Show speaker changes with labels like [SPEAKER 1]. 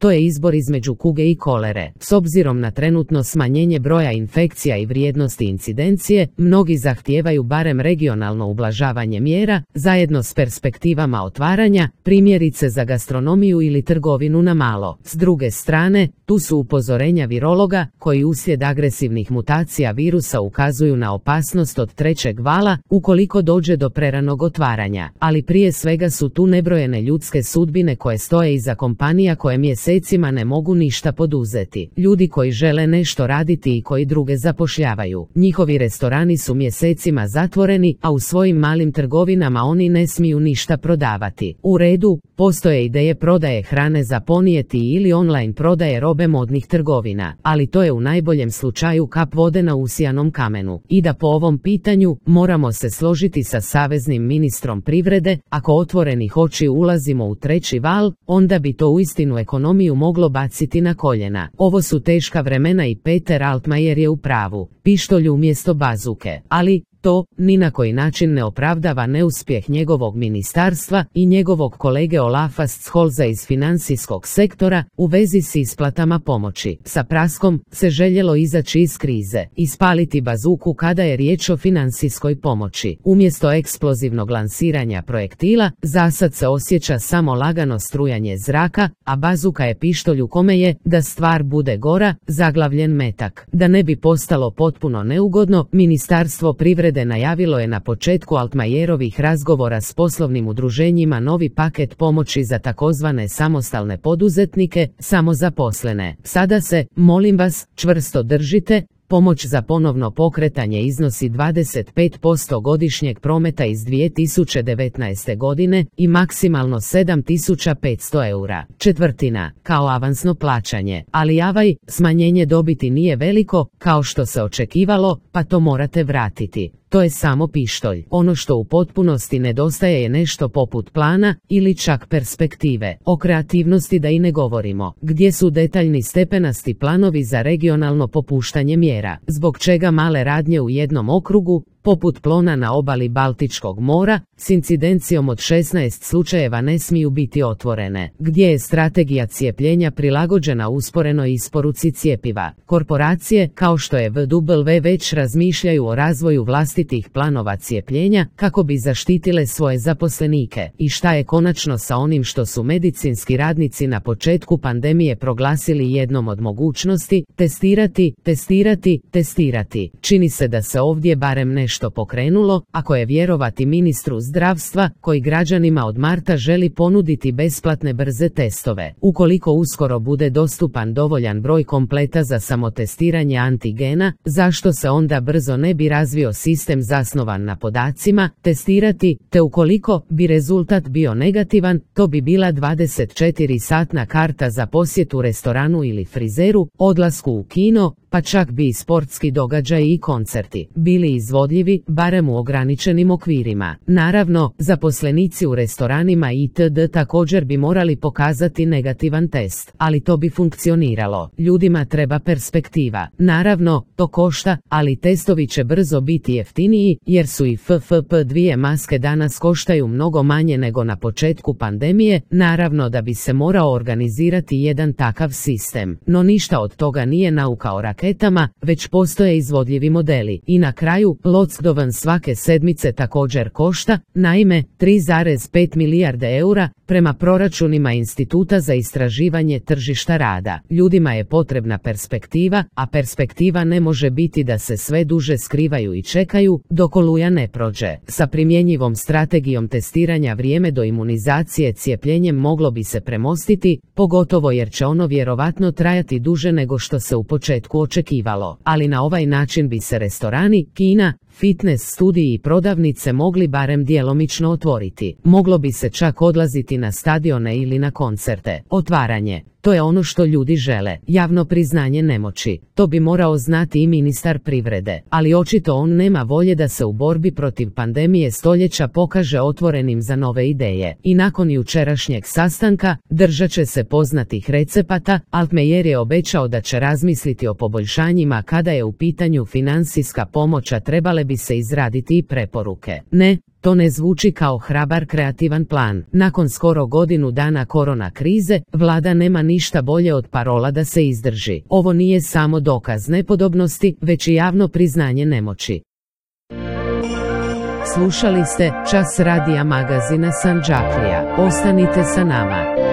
[SPEAKER 1] to je izbor između kuge i kolere. S obzirom na trenutno smanjenje broja infekcija i vrijednosti incidencije, mnogi zahtijevaju barem regionalno ublažavanje mjera, zajedno s perspektivama otvaranja, primjerice za gastronomiju ili trgovinu na malo. S druge strane, tu su upozorenja virologa, koji uslijed agresivnih mutacija virusa ukazuju na opasnost od trećeg vala, ukoliko dođe do preranog otvaranja. Ali prije svega su tu nebrojene ljudske sudbine koje stoje iza kompanija koje mjesecima ne mogu ništa poduzeti. Ljudi koji žele nešto raditi i koji druge zapošljavaju. Njihovi restorani su mjesecima zatvoreni, a u svojim malim trgovinama oni ne smiju ništa prodavati. U redu, postoje ideje prodaje hrane za ponijeti ili online prodaje robe modnih trgovina, ali to je u najboljem slučaju kap vode na usijanom kamenu. I da po ovom pitanju moramo se složiti sa saveznim ministrom privrede, ako otvorenih očiju ulazimo u treći val, onda bi to uistinu ekonomiju moglo baciti na koljena. Ovo su teška vremena i Peter Altmaier je u pravu. Pištolj umjesto bazuke, ali to ni na koji način ne opravdava neuspjeh njegovog ministarstva i njegovog kolege Olafa Scholza iz financijskog sektora u vezi s isplatama pomoći. Sa praskom se željelo izaći iz krize, ispaliti bazuku kada je riječ o financijskoj pomoći. Umjesto eksplozivnog lansiranja projektila, zasad se osjeća samo lagano strujanje zraka, a bazuka je pištolj u kome je, da stvar bude gora, zaglavljen metak. Da ne bi postalo potpuno neugodno, Ministarstvo privrede najavilo je na početku Altmaierovih razgovora s poslovnim udruženjima novi paket pomoći za takozvane samostalne poduzetnike, samozaposlene. Sada se, molim vas, čvrsto držite. Pomoć za ponovno pokretanje iznosi 25% godišnjeg prometa iz 2019. godine i maksimalno 7.500 eura, četvrtina, kao avansno plaćanje. Ali smanjenje dobiti nije veliko, kao što se očekivalo, pa to morate vratiti. To je samo pištolj. Ono što u potpunosti nedostaje je nešto poput plana ili čak perspektive. O kreativnosti da i ne govorimo. Gdje su detaljni stepenasti planovi za regionalno popuštanje mjera? Zbog čega male radnje u jednom okrugu, poput Plona na obali Baltičkog mora, s incidencijom od 16 slučajeva ne smiju biti otvorene? Gdje je strategija cijepljenja prilagođena usporenoj isporuci cjepiva? Korporacije, kao što je VW, već razmišljaju o razvoju vlastitih planova cijepljenja kako bi zaštitile svoje zaposlenike. I šta je konačno sa onim što su medicinski radnici na početku pandemije proglasili jednom od mogućnosti? Testirati. Čini se da se ovdje barem nešto pokrenulo, ako je vjerovati ministru zdravstva, koji građanima od marta želi ponuditi besplatne brze testove. Ukoliko uskoro bude dostupan dovoljan broj kompleta za samotestiranje antigena, zašto se onda brzo ne bi razvio sistem zasnovan na podacima? Testirati, te ukoliko bi rezultat bio negativan, to bi bila 24-satna karta za posjetu restoranu ili frizeru, odlasku u kino, pa čak bi i sportski događaji i koncerti bili izvodljivi, barem u ograničenim okvirima. Naravno, zaposlenici u restoranima itd. također bi morali pokazati negativan test, ali to bi funkcioniralo. Ljudima treba perspektiva. Naravno, to košta, ali testovi će brzo biti jeftiniji, jer su i FFP2 maske danas koštaju mnogo manje nego na početku pandemije. Naravno da bi se morao organizirati jedan takav sistem. No ništa od toga nije nauka o raketama, već postoje izvodljivi modeli. I na kraju, lockdown svake sedmice također košta, naime, 3,5 milijarde eura, prema proračunima Instituta za istraživanje tržišta rada. Ljudima je potrebna perspektiva, a perspektiva ne može biti da se sve duže skrivaju i čekaju, dok oluja ne prođe. Sa primjenjivom strategijom testiranja vrijeme do imunizacije cijepljenjem moglo bi se premostiti, pogotovo jer će ono vjerovatno trajati duže nego što se u početku očekivalo. Ali na ovaj način bi se restorani, kina, fitness studiji i prodavnice mogli barem djelomično otvoriti. Moglo bi se čak odlaziti na stadione ili na koncerte. Otvaranje. To je ono što ljudi žele, javno priznanje nemoći. To bi morao znati i ministar privrede, ali očito on nema volje da se u borbi protiv pandemije stoljeća pokaže otvorenim za nove ideje. I nakon jučerašnjeg sastanka, držat će se poznatih recepata. Altmaier je obećao da će razmisliti o poboljšanjima kada je u pitanju financijska pomoć, a trebale bi se izraditi i preporuke. Ne, To ne zvuči kao hrabar kreativan plan. Nakon skoro godinu dana korona krize, vlada nema ništa bolje od parola da se izdrži. Ovo nije samo dokaz nepodobnosti, već i javno priznanje nemoći. Slušali ste Čas radija magazina Sandžaklija. Ostanite sa nama.